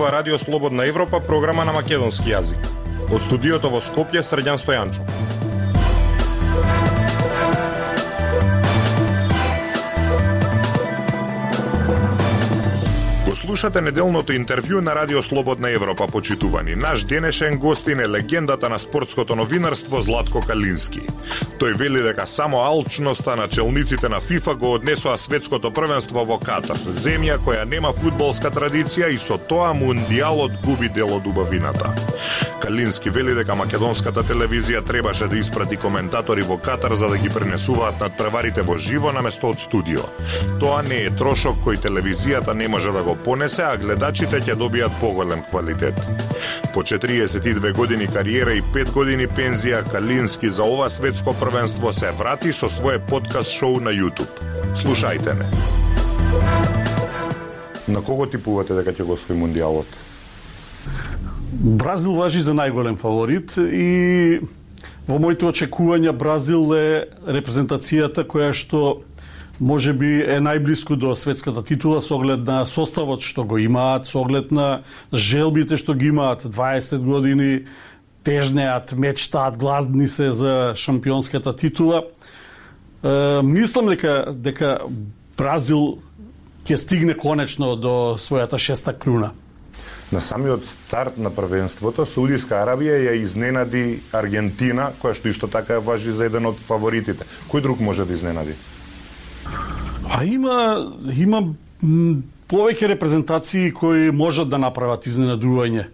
ова Радио Слободна Европа, програма на македонски јазик. Од студиото во Скопје, Срđan Стојанчов. Слушате неделното интервју на Радио Слободна Европа, почитувани. Наш денешен гостин е легендата на спортското новинарство Златко Калински. Тој вели дека само алчноста на челниците на ФИФА го однесоа светското првенство во Катар, земја која нема фудбалска традиција и со тоа мундијалот губи дел од убавината. Калински вели дека македонската телевизија требаше да испрати коментатори во Катар за да ги пренесуваат надпреварите во живо наместо од студио. Тоа не е трошок кој телевизијата не може да го понесе, а гледачите ќе добијат поголем квалитет. По 42 години кариера и 5 години пензија, Калински за ова светско првенство се врати со свое подкаст шоу на YouTube. Слушајте ме. На кого типувате дека ќе го освои мундијалот? Бразил важи за најголем фаворит и во моите очекувања Бразил е репрезентацијата која што може би е најблиску до светската титула со оглед на составот што го имаат, со оглед на желбите што ги имаат, 20 години тежнеат, мечтаат, гладни се за шампионската титула. Мислам дека Бразил ќе стигне конечно до својата 6-та круна. На самиот старт на првенството, Саудиска Арабија ја изненади Аргентина, која што исто така важи за еден од фаворитите. Кој друг може да изненади? Има повеќе репрезентации кои можат да направат изненадување.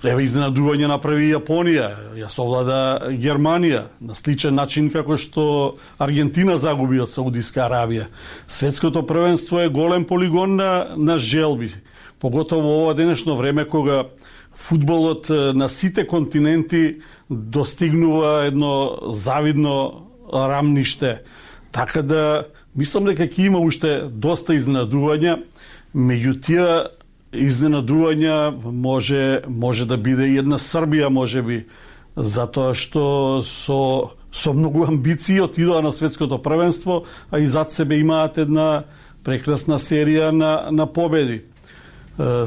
Изненадување направи Јапонија, ја совлада Германија, на сличен начин како што Аргентина загуби од Саудиска Арабија. Светското првенство е голем полигон на желби. Поготово во ова денешно време кога фудбалот на сите континенти достигнува едно завидно рамниште. Така да мислам дека ќе има уште доста изненадувања, меѓу тие изненадувања може да биде и една Србија можеби, затоа што со многу амбиции отидоа на светското првенство, а и зад себе имаат една прекрасна серија на победи.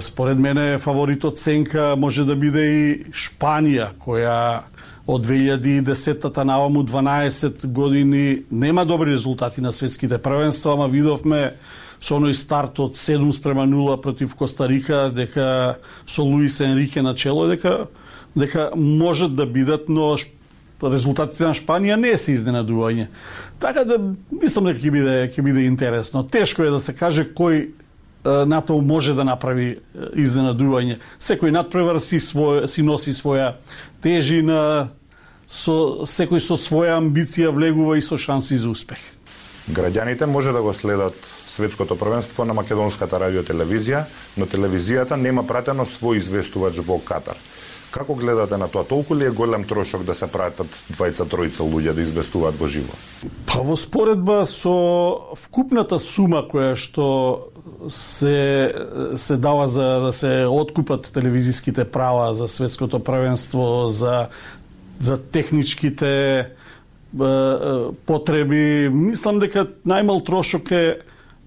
Според мене фаворитот сенка може да биде и Шпанија, која од 2010-та наваму 12 години нема добри резултати на светските првенства, ама видовме со оној старт од 7-0 против Коста Рика, дека со Луис Енрике на чело, дека можат да бидат, но резултатите на Шпанија не се изненадување. Така да мислам дека ќе биде интересно. Тешко е да се каже кој натаму може да направи изненадување. Секој надпревар си носи своја тежина, секој со своја амбиција влегува и со шанси за успех. Граѓаните може да го следат светското првенство на македонската радиотелевизија, но телевизијата нема пратено свој известувач во Катар. Како гледате на тоа? Толку ли е голем трошок да се пратат двајца-тројца луѓе да известуваат во живо? Во споредба со вкупната сума која што се дава за да се откупат телевизиските права за светското првенство, за техничките потреби, мислам дека најмал трошок е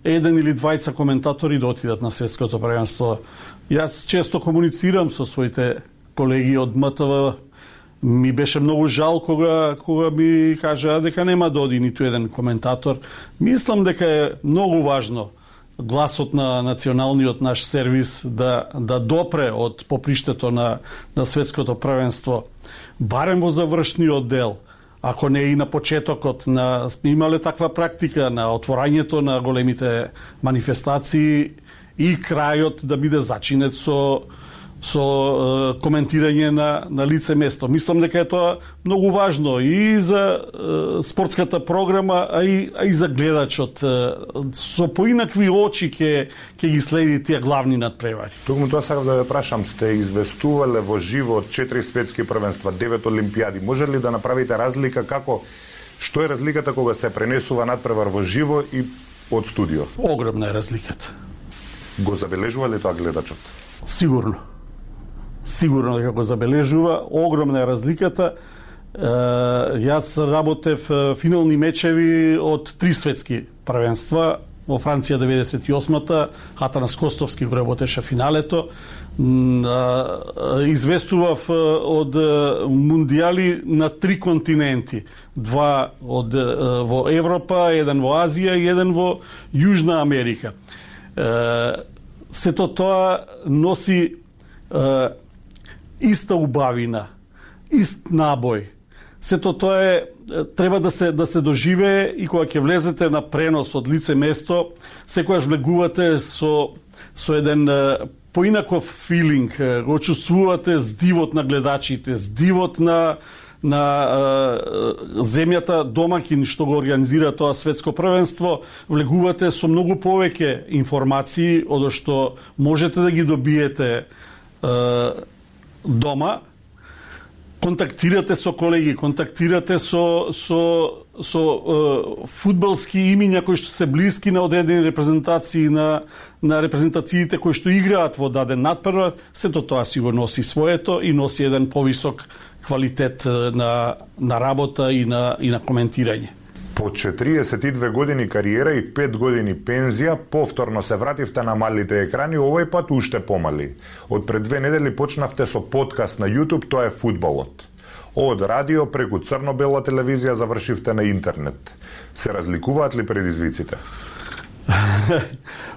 еден или двајца коментатори да отидат на светското првенство. Јас често комуницирам со своите колеги од МТВ. Ми беше многу жал кога ми кажаа дека нема да оди ниту еден коментатор. Мислам дека е многу важно гласот на националниот наш сервис да допре од поприштето на светското првенство, барем во завршниот дел. Ако не и на почетокот, имале таква практика на отворањето на големите манифестации и крајот да биде зачинет со коментирање на лице место. Мислам дека е тоа многу важно и за спортската програма, а и за гледачот. Со поинакви очи ќе ги следи тие главни надпревари. Токму тоа сакав да ве прашам, сте известувале во живо 4 светски првенства, 9 олимпијади. Може ли да направите разлика што е разликата кога се пренесува надпревар во живо и од студио? Огромна е разликата. Го забележува ли тоа гледачот? Сигурно дека го забележува. Огромна е разликата. Јас работев финални мечеви од 3 светски првенства во Франција 98-та, Атанас Костовски го работеше финалето. Известував од мундијали на 3 континенти. 2 во Европа, 1 во Азија и 1 во Јужна Америка. Сето тоа носи иста убавина, ист набој. Сето тоа треба да се доживее и кога ќе влезете на пренос од лице место, секогаш влегувате со еден поинаков филинг, го чувствувате здивот на гледачите, здивот на земјата домаќин што го организира тоа светско првенство, влегувате со многу повеќе информации од што можете да ги добиете дома. Контактирате со колеги, контактирате со фудбалски имиња кои што се блиски на одредени репрезентации, на репрезентациите кои што играат во даден надпревар. Сето тоа си го носи своето и носи еден повисок квалитет на работа и на коментирање. По 42 години кариера и 5 години пензија, повторно се вративте на малите екрани, овој пат уште помали. Од пред 2 недели почнавте со подкаст на YouTube, тоа е Фудбалот. Од радио преку црно-бела телевизија завршивте на интернет. Се разликуваат ли предизвиците?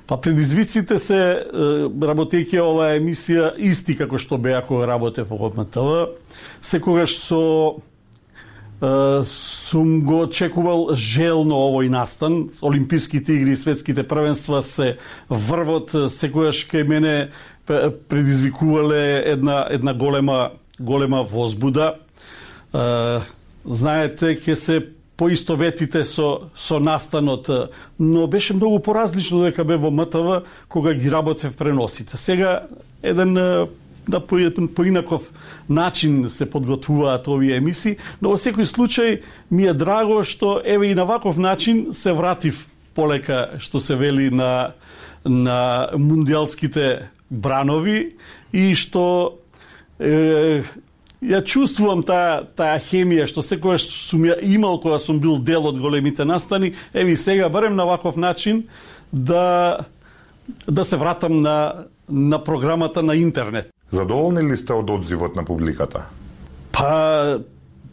Па предизвиците се, работејќи оваа емисија, исти како што беа кога работев во МТВ. Секогаш сум го очекувал желно овој настан. Олимписките игри и светските првенства се врвот, секогаш кај мене предизвикувале една голема возбуда. Знаете, ќе се поистоветите со настанот, но беше многу поразлично дека бе во МТВ кога ги работев преносите. Сега на поинаков начин се подготвуваат овие емисии, но во секој случај ми е драго што еве и на ваков начин се вратив полека, што се вели, на мундијалските бранови и што ја чувствувам таа хемија што секогаш сум ја имал кога сум бил дел од големите настани. Еве и сега барем на ваков начин да се вратам на програмата на интернет. Задоволни ли сте од одзивот на публиката? Па,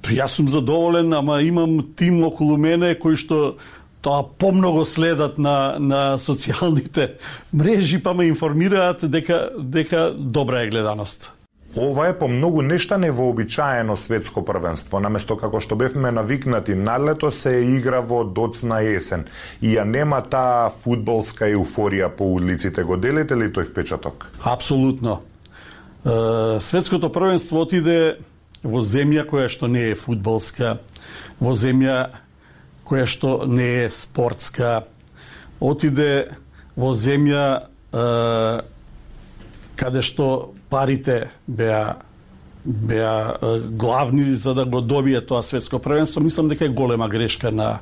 јас сум задоволен, ама имам тим околу мене кои што тоа помногу следат на социјалните мрежи, па ме информираат дека добра е гледаност. Ова е по многу нешта невообичаено светско првенство. Наместо како што бевме навикнати на лето, се игра во доцна есен. И ја нема таа фудбалска еуфорија по улиците. Го делите ли тој впечаток? Апсолутно. Светското првенство отиде во земја која што не е фудбалска, во земја која што не е спортска, отиде во земја каде што парите беа главни за да го добие тоа светско првенство. Мислам дека е голема грешка на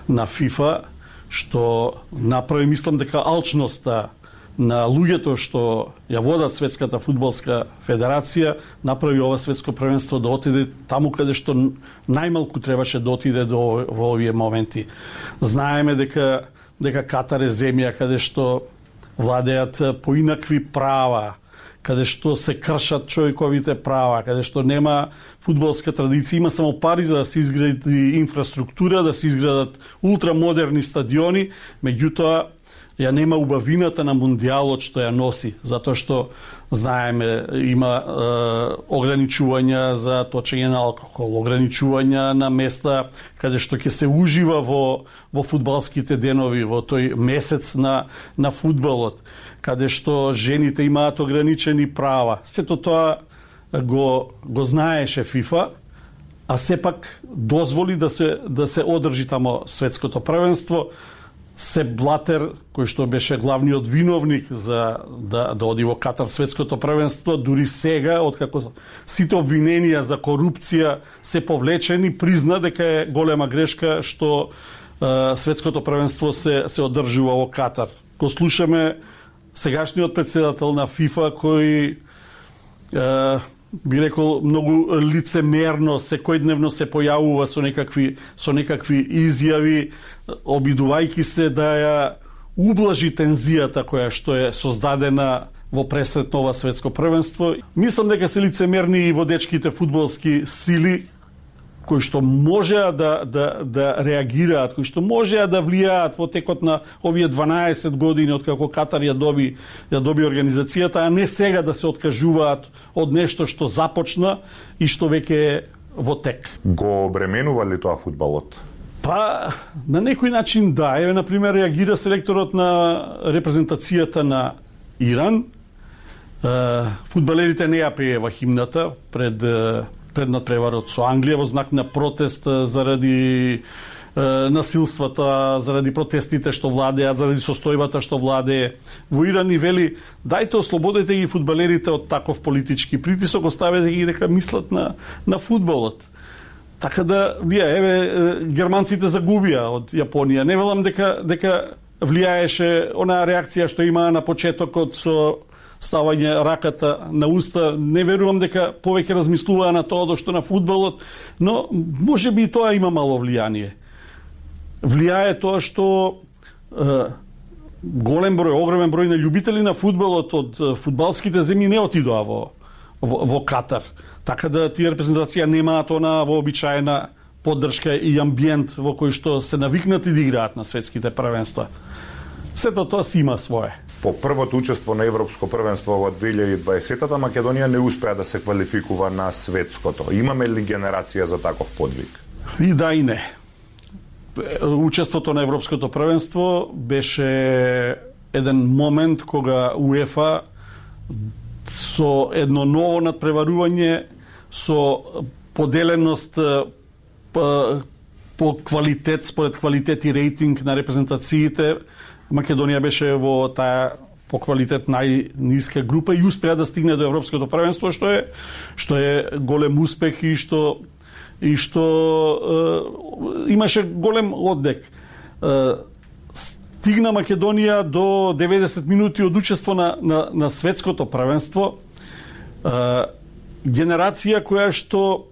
FIFA што направи, мислам дека алчноста на луѓето што ја водат Светската фудбалска федерација направи ова светско првенство да отиде таму каде што најмалку требаше да отиде во овие моменти. Знаеме дека Катар е земја каде што владеат поинакви права, каде што се кршат човековите права, каде што нема фудбалска традиција, има само пари за да се изгради инфраструктура, да се изградат ултрамодерни стадиони, меѓутоа ја нема убавината на мундијалот што ја носи, затоа што знаеме има ограничувања за точење на алкохол, ограничувања на места каде што ќе се ужива во фудбалските денови, во тој месец на фудбалот, каде што жените имаат ограничени права. Сето тоа го знаеше FIFA, а сепак дозволи да се одржи тамо светското првенство. Сеп Блатер, кој што беше главниот виновник за да оди во Катар светското првенство, дури сега, откако сите обвиненија за корупција се повлечени, призна дека е голема грешка што светското првенство се одржува во Катар. Го слушаме сегашниот председател на FIFA кој би рекол многу лицемерно секојдневно се појавува со некакви изјави, обидувајќи се да ја ублажи тензијата која што е создадена во пресретно ова светско првенство. Мислам дека се лицемерни и водечките фудбалски сили кои што можеа да реагираат, кои што можеа да влијаат во текот на овие 12 години од како Катар ја доби организацијата, а не сега да се откажуваат од нешто што започна и што веќе е во тек. Го обременува ли тоа фудбалот? Па, на некој начин да. Еве, например, реагира селекторот на репрезентацијата на Иран. Фудбалерите не ја пеева химната пред надпреварот со Англија во знак на протест заради насилствата, заради протестите што владеат, заради состојбата што владее во Иран, и вели дајте ослободете ги фудбалерите од таков политички притисок, оставете ги дека мислат на фудбалот. Така да, еве, германците загубија од Јапонија. Не велам дека влијаеше онаа реакција што имаа на почетокот со ставање раката на уста. Не верувам дека повеќе размислуваа на тоа што на фудбалот, но може би и тоа има мало влијание. Влијае тоа што огромен број на љубители на фудбалот од фудбалските земји не отидоа во Катар. Така да тие репрезентација немаат она вообичаена поддршка и амбиент во кој што се навикнати да играат на светските првенства. Сето тоа си има свое. По првото учество на Европско првенство во 2020-та Македонија не успеа да се квалификува на светското. Имаме ли генерација за таков подвиг? И да и не. Учеството на Европското првенство беше еден момент кога УЕФА со едно ново надпреварување, со поделеност по квалитет, според квалитет и рейтинг на репрезентациите, Македонија беше во таа по квалитет најниска група и успеа да стигне до Европското првенство, што е голем успех и што имаше голем оддек. Стигна Македонија до 90 минути од учество на светското првенство. Генерација која што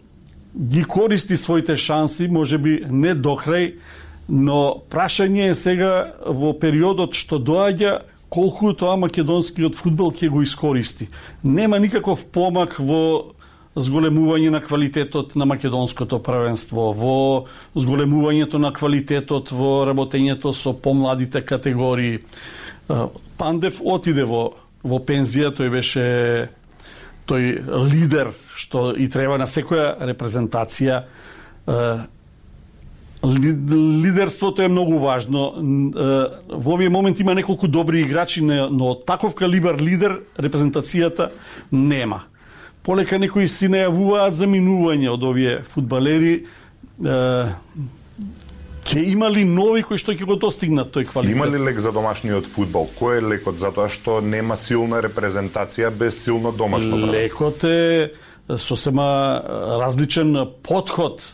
ги користи своите шанси, можеби не до крај, но прашање е сега во периодот што доаѓа колку тоа македонскиот фудбал ќе го искористи. Нема никаков помак во зголемување на квалитетот на македонското првенство, во зголемувањето на квалитетот во работењето со помладите категории. Пандев отиде во пензија, тој лидер што и треба на секоја репрезентација. Лидерството е многу важно. Во овие моменти има неколку добри играчи, но таков калибар лидер репрезентацијата нема. Полека некои си најавуваат за минување од овие фудбалери. Ке има ли нови кои што ќе го достигнат тој квалитет? Има ли лек за домашниот фудбал? Кој е лекот? Затоа што нема силна репрезентација без силно домашно првенство. Лекот е сосема различен подход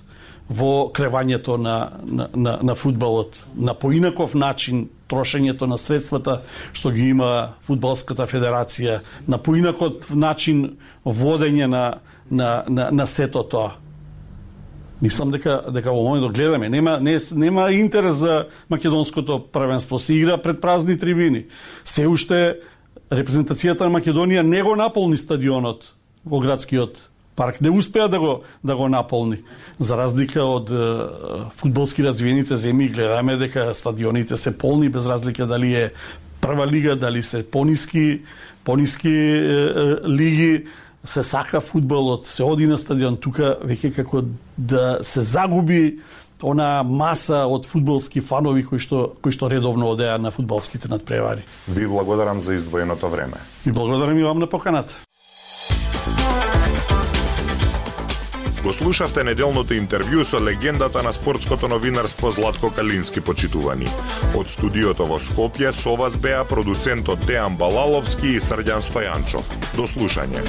во кревањето на фудбалот, на поинаков начин трошењето на средствата што ги има фудбалската федерација, на поинаков начин водење на сето тоа. Мислам дека во моментот гледаме, нема интерес за македонското првенство, се игра пред празни трибини. Се уште репрезентацијата на Македонија не го наполни стадионот во градскиот парк, не успеа да го наполни. За разлика од фудбалски развиените земји, гледаме дека стадионите се полни без разлика дали е прва лига, дали се пониски лиги, се сака фудбалот, се оди на стадион. Тука веќе како да се загуби она маса од фудбалски фанови кои што редовно одеа на фудбалските надпревари. Ви благодарам за издвоеното време. И благодарам и вам на поканата. Го слушавте неделното интервју со легендата на спортското новинарство Златко Калински, почитувани. Од студиото во Скопје со вас беа продуцентот Дејан Балаловски и Срđan Стојанчов. До слушање.